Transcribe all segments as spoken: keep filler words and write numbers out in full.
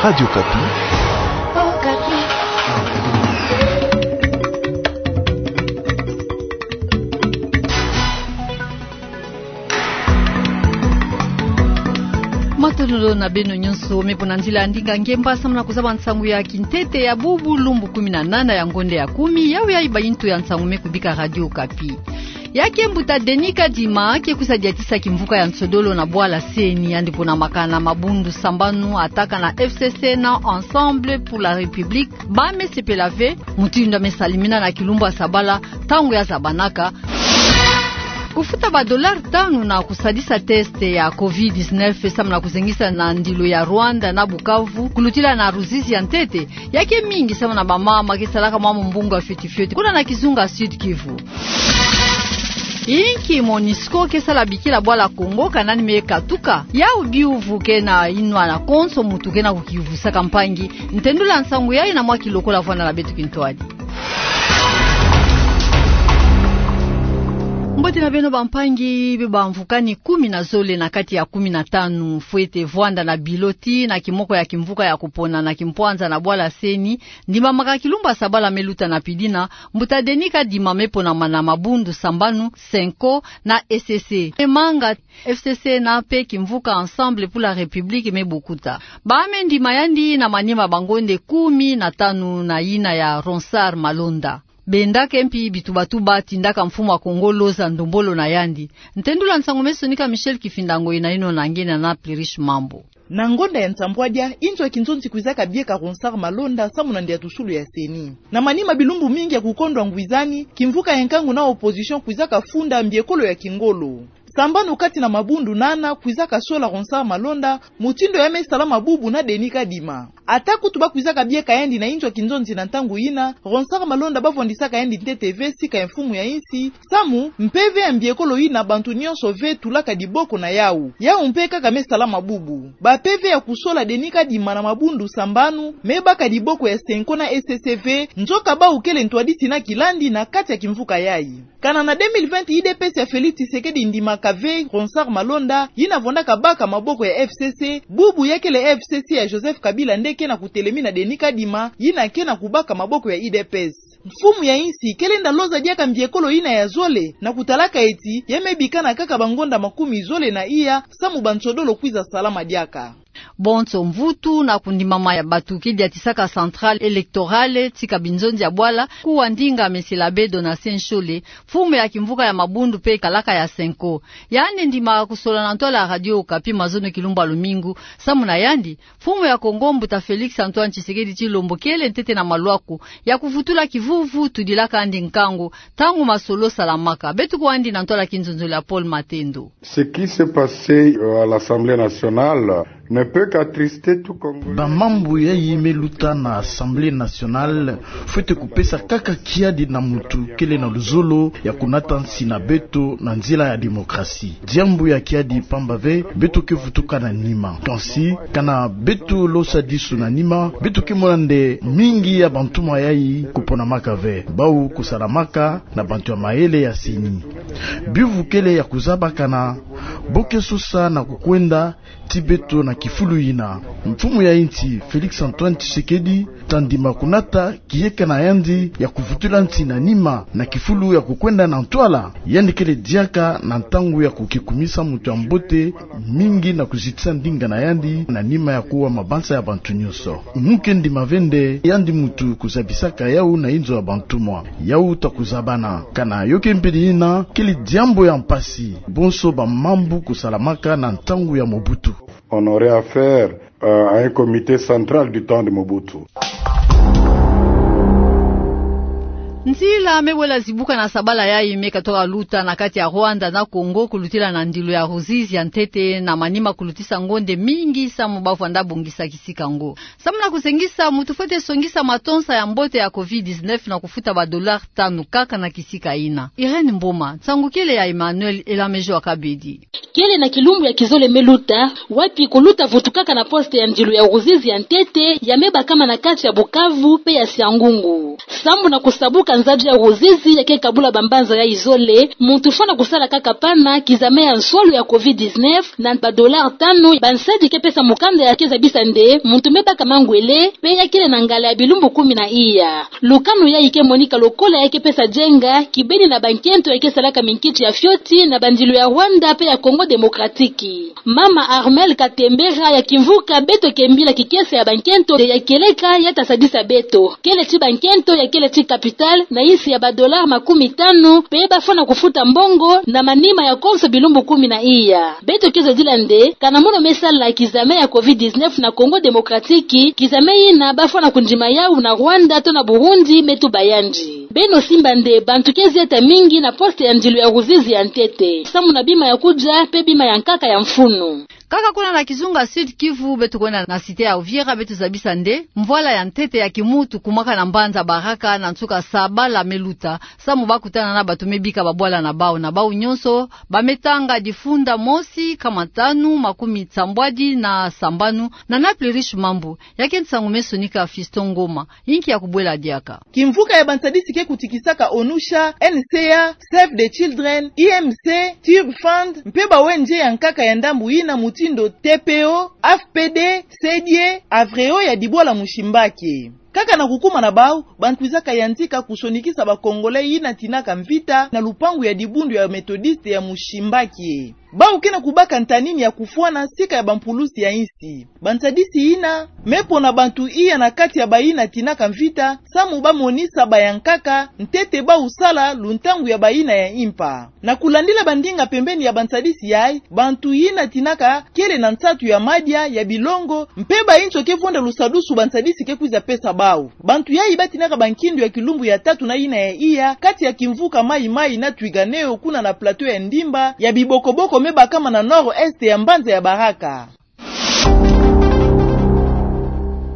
Radio Okapi. Matondo na beno nyonso, me mpo na nzila ya ndinga ngemba, samu na kuzaba nsangu ya kintete ya bubu lumbu kumi na nana ya ngonde ya kumi, yawu yayi bayintu ya nsangu me kubika Radio Okapi. Ya ke mbuta Denis Kadima ke kwiza diatisa kimvuka ya nsodolo na bwala C E N I, yandi ponamaka na mabundu sambanu, ataka na F C C na Ensemble pour la République. Ba me sepela ve mutindu ya me salimina na kilumbu ya sabala, ntangu ya zabanaka kufuta ba dollars tanu na kusadisa test ya covid dix-neuf, samu na kuzengisa na ndilo ya Rwanda na Bukavu, kulutila na ruzizi ya ntete. Ya ke mingi samu na bamama ke salaka mwa mumbungu ya fioti fioti kuna na kizunga Sud-Kivu. Inki MONUSCO ke sala bikila bwala Congo, kana nani me katuka? Yawu biuvu ke na inwa na konso muntu ke na kukivusaka mpangi. Ntendula nsangu yayi na mwa kilokola vwanda na beto kintwadi. Mbote na beno bampangi, be bamvukani kumi na zole na kati ya kumi na tanu fwete vwanda na bilo tii na kimoko ya kimvuka ya kupona na kimpwanza na bwala C E N I, ndimamaka kilumbu ya sabala me luta na pidina, mbuta Denis Kadima me ponama na mabundu sambanu, CENCO na E C C. E manga F C C na mpe kimvuka Ensemble pour la République me bukuta. Ba me ndima yandi na manima ba ngonde kumi na tanu na yina ya Ronsard Malonda. Bendaka mpi bitubatuba tindaka mfumu ya Congo loza ndombolo na yandi. Ntendula nsangu me sonika Michel Kifinda Ngoi, na ino na ngena na Plurish Mambu. Na ngonda ya nsambwadia, inzo ya kinzonzi kwizaka bieka Ronsard Malonda samu na ndiatusulu ya C E N I. Na manima bilumbu mingi ya kukondwa ngwizani, kimvuka ya nkangu na opposition kwizaka funda mbiekolo ya kingolo. Sambanu kati na mabundu nana kwizaka sola Ronsard Malonda, mutindu ya me salama bubu na Denis Kadima. Ata kutu ba kwizaka bieka yandi na inzo ya kinzonzi na ntangu yina, Ronsard Malonda ba vwandisaka yandi ntete ve sika ya mfumu ya insi, samu mpeve ya mbiekolo yina bantu nyonso ve tulaka diboko na yawu. Yawu mpe kaka me salama bubu. Ba mpeve ya kusola Denis Kadima na mabundu sambanu me baka diboko ya CENCO na E C C ve, nzoka bawu kele ntwadisi na kilandi na kati ya kimvuka yayi. Kana na deux mille vingt, U D P S ya Félix Tshisekedi ndimaka ve Ronsard Malonda, yina vwandaka baka maboko ya F C C, bubu ya kele F C C ya Joseph Kabila nde ke na kutelemina Denis Kadima, yina ke na kubaka maboko ya U D P S. Mfumu ya insi kele nda loza diaka mbiekolo yina ya zole, na kutalaka eti ya me bikana kaka ba ngonda makumi zole na iya, samu ba nsodolo kwiza salama diaka. Bonso mvutu na kundimama ya batu ke diatisaka Centrale Électorale tika binzonzi ya bwala, kuwa ndinga Monsieur l'Abbé Donatien Nshole, mfumu ya kimvuka ya mabundu mpe kalaka ya CENCO. Yandi ndimaka kusola na ntwala ya Radio Okapi mazono kilumbu ya lumingu, samu na yandi, mfumu ya Congo mbuta Félix Antoine Tshisekedi Tshilombo kele ntete na malwaku ya kuvutula kivuvu tudilaka yandi nkangu, ntangu masolo salamaka. Beto kuwa yandi na ntwala ya kinzonzolo ya Paul Matendo. Ce qui s'est passé, euh, à l'Assemblée nationale ne peut qu'attrister tout Congolais. Ba mambu yayi me luta na Assemblée nationale fwete kupesa kaka kiadi na muntu kele na luzolo ya kunata nsi na beto na nzila ya démocratie. Diambu ya kiadi pamba ve, beto ke vutuka na nima. Kansi, kana beto losa disu na nima, beto ke mona nde mingi ya bantumwa yayi kuponamaka ve, bawu kusalamaka na bantu ya mayele ya C E N I. Biuvu kele ya kuzaba kana bo ke sosa na kukwenda ti beto na kifulu yina. Mfumu ya insi, Félix Antoine Tshisekedi, ta ndima kunata kiyeka na yandi ya kuvutula nsi na nima na kifulu ya kukwenda na ntwala. Yandi kele diaka na ntangu ya kukikumisa muntu ya mbote mingi na kuzitisa ndinga na yandi na nima ya kuwa mabanza ya bantu nyonso. Mu ke ndima ve nde yandi muntu kuzabisaka yawu na inzo ya bantumwa. Yawu ta kuzabana. Kana yo ke mpila yina, kele diambu ya mpasi. Bonso ba mambu kusalamaka na ntangu ya Mobutu. On aurait affaire, euh, à un comité central du temps de Mobutu. Nzila me wela zibuka na sabala yayi me katoka luta na kati ya Rwanda na Congo, kulutila na ndilo ya ruzizi ya ntete, na manima kulutisa ngonde mingi samu ba vwanda bongisa kisika yango. Samu na kuzengisa, muntu fwete songisa matonsa ya mbote ya covid dix-neuf na kufuta ba dollars tanu kaka na kisika yina. Irène Mboma, nsangu kele ya Emmanuel Elamejo Akabedi. Kele na kilumbu ya kizole me luta, wapi kuluta vutukaka na poste ya ndilo ya ruzizi ya ntete, ya me bakama na kati ya Bukavu mpe ya Siangungu. Samu na kusabuka Nzadi ya Ruzizi ya ke kabula bambanza yai zole, muntu fwana kusala kaka pana, kizame ya nsolo ya covid dix-neuf, na ba dollars tanu, bansadi ke pesa mukanda ya ke zabisa nde muntu me baka mangwele, pe ya kele na ngala ya bilumbu kumi na iya. Lukanu yai ke monika lokola ya ke pesa jenga kibeni na bankento ya ke salaka minkiti ya fioti na bandilu ya Rwanda pe ya Congo Démocratique. Mama Armel Katembera ya kimvuka beto ke mbila kikese ya bankento ya kieleka ya ta sadisa beto. Kele ti bankento ya kele ti capitale na insi ya ba dollars makumi tanu, pe ba fwana kufuta mbongo na manima ya konso bilumbu kumi na iya. Beto ke zadila nde, kana mono me sala kizame ya covid dix-neuf na Congo Démocratique, kizame yina ba fwana kundima yau na Rwanda to na Burundi me tuba yandi. Beno simba nde bantu ke zieta mingi na poste ya ndilu ya Ruzizi ya ntete. Samu na bima ya kudia, pe bima ya nkaka ya mfunu. Kaka kuna na kizunga Sud-Kivu, beto kwenda na cité ya Uvira, beto zabisa nde mvwala ya ntete ya kimuntu kumwaka na mbanza Baraka, na nsuka sabala me luta, samu ba kutana na bantu me bika babwala na bau, na bau nyonso ba me tanga difunda mosi, kama tanu, makumi sambwadi na sambanu. Nana Plerish Mambu, ya ke nsangu me sonika Fiston Ngoma, inki ya kubwela diaka. Kimvuka ya bansadisi ke kutikisaka ONUSHA, NCA, Save the Children, I M C, Tube Fund, mpe ba O N G ya nkaka ya ndambu yina mutindu T P O, A F P D, Sedie, Avreo ya Dibwala Mushimbaki. Kaka na kukuma na bau, bantu kwizaka yantika kusonikisa ba Congolais yina tinaka mvita na lupangu ya dibundu ya Methodiste ya Mushimbaki. Bau ke na kubaka ntanini ya kufwana sika ya bampulusi ya insi. Bansadisi yina me pona bantu iya na kati ya bayina tinaka mvita, samu ba monisa ba ya nkaka ntete bau sala luntangu ya bayina ya impa. Na kulandila bandinga pembeni ya bansadisi yai, bantu yina tinaka kele na nsatu ya madia, ya bilongo, mpe ba inzo ke vonda lusadusu bansadisi ke kwiza pesa bau. Bantu yai ba tinaka bankindu ya kilumbu ya tatu na yina ya iya, kati ya kimvuka Maï-Maï na Twirwaneho kuna na plateau ya Ndimba, ya bibokoboko me bakama na nord-est ya mbanza ya Baraka.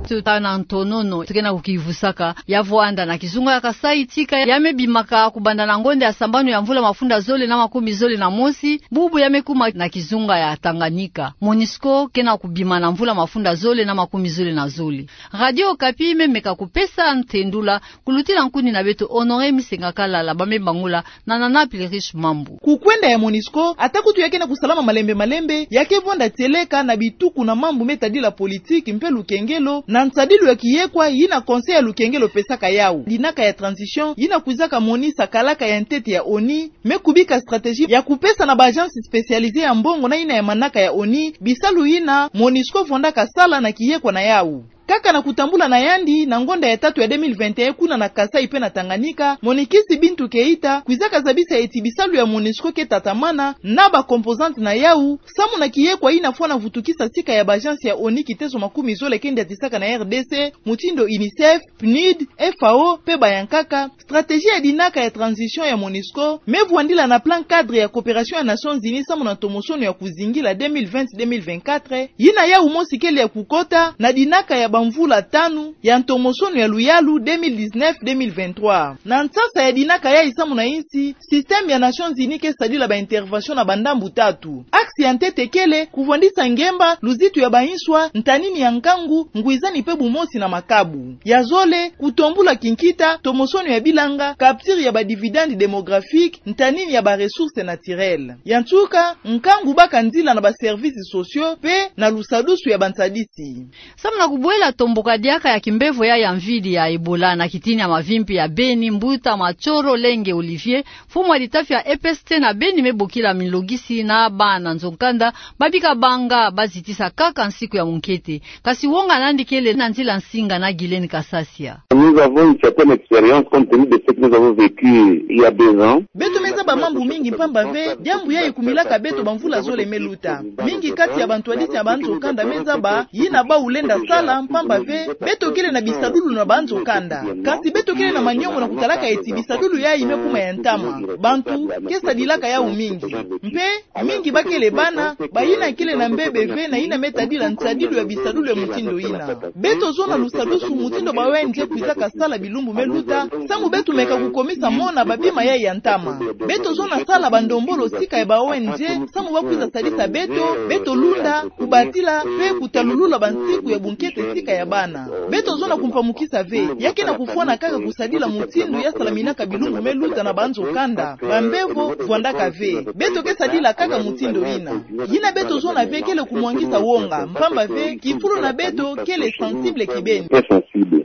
Tuta na ntonono, tu ke na kukivusaka, ya vwanda na kizunga ya Kasaï tika ya me bimaka kubanda na ngonda ya sambanu ya mvula mafunda zole na makumi zole na mosi, bubu ya me kuma na kizunga ya Tanganyika. Monusco ke na kubima na mvula mafunda zole na makumi zole na zole. Radio Okapi me meka kupesa ntendula kulutila nkuni na beto Honoré Misenga Kalala, ba me bangula na Nana Plerish Mambu. Kukwenda ya Monusco, ata kutu ya ke na kusalama malembe malembe, ya ke vonda tieleka na bituku na mambu me tadila politiki mpe lukengelo, na nsadilu ya kiyekwa yina Conseil ya lukengelo pesaka yau. Dinaka ya transition, yina kwizaka monisa kalaka ya ntete ya ONU, me kubika stratégie ya kupesa na ba agence spécialisée ya mbongo na yina ya manaka ya ONU, bisalu yina Monusco vondaka sala na kiyekwa na yau. Kaka na kutambula na yandi, na ngonda ya tatu ya deux mille vingt et un kuna na Kasaï mpe na Tanganyika, Monikisi Bintou Keita kwizaka zabisa eti bisalu ya Monusco ke tatamana na ba composantes na yau, samu na kiyekwa yina fwana vutukisa sika ya ba agence ya ONU kiteso makumi zole ke ndiatisaka na R D C, mutindu UNICEF, PNUD, F A O, mpe ba ya nkaka, stratégie ya dinaka ya transition ya Monusco me vwandila na plan cadre ya coopération ya Nations Unies samu na ntomosono ya kuzingila deux mille vingt, deux mille vingt-quatre, yina yau mosi kele ya kukota na dinaka ya bamvula tanu ya ntomosono ya luyalu deux mille dix-neuf, deux mille vingt-trois. Na nsasa ya dinaka yai samu na insi, système ya Nations Unies ke sadila ba intervention na bandambu tatu. Axe ya ntete kele kuvwandisa ngemba luzitu ya ba inswa, ntanini ya nkangu, ngwizani mpe bumosi na makabu. Ya zole, kutombula kinkita ntomosono ya bilanga, capture ya ba dividendes démographiques, ntanini ya ba ressources naturelles. Ya nsuka, nkangu baka nzila na ba services sociaux mpe na lusadusu ya bansadisi. Samu na kubwela tomboka diaka ya kimbevo ya, ya mvidi ya Ebola na kitini ya mavimpi ya Beni, Mbuta Matshoro Lenge Olivier, mfumu ya litafi ya E P S T na Beni, me bokila milogisi na bana nzo-nkanda ba bika banga ba zitisa kaka nsiku ya munkete. Kasi wonga nandi kele na nzila nsinga na Guylaine Kasasia. Nous avons une certaine expérience compte tenu de ce que nous avons vécu il y a deux ans. Beto me zaba mambu mingi mpamba ve diambu yai kumilaka beto bamvula zole me luta. Mingi kati ya bantwadisi ya banzo-nkanda me zaba yina bau lenda sala mpamba ve beto kele na bisadulu na banzo-nkanda. Kasi beto kele na maniongo na kutalaka eti bisadulu yai me kuma ya ntama. Bantu ke sadilaka yau mingi. Mpe mingi ba kele bana, bayina kele na mbebe ve na yina me tadila nsadilu ya bisadulu ya mutindu yina. Beto zona lusadusu mutindu ba O N G kwizaka sala bilumbu me luta, samu beto meka kukomisa mona babima yai ya ntama. Beto zona sala bandombolo sika ya ba O N G, samu ba kwiza sadisa beto, beto lunda, kubatila, mpe kutalulula bansiku ya bunkete sika ya bana. Beto zona kumpamukisa ve, ya ke na kufwana kaka kusadila mutindu ya salaminaka bilumbu me luta na banzo kanda, bambevo, vwandaka ve. Beto ke sadila kaka mutindu yina. Yina beto zona ve kele kumwangisa wonga, mpamba ve, kifulu na beto kele sensible kibeni.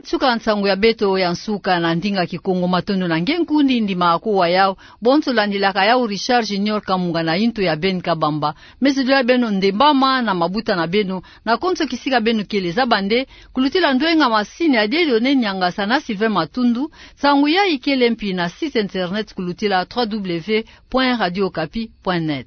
Suka nsangu ya beto ya nsuka na ndinga Kikongo. Matondo na nge nkundi ndima ako wa yau. Bonso landilaka yau Richard Junior Kamunga na yinto ya Ben Kabamba. Meso dio ya beno ndembama na mabuta na beno, na konso kisika beno kele, zaba nde kulutila ndwenga masini ya Dieudonné Niangasa na Sylvain Matundu. Nsangu yayi kele mpi na site internet kulutila trois W point radio okapi point net.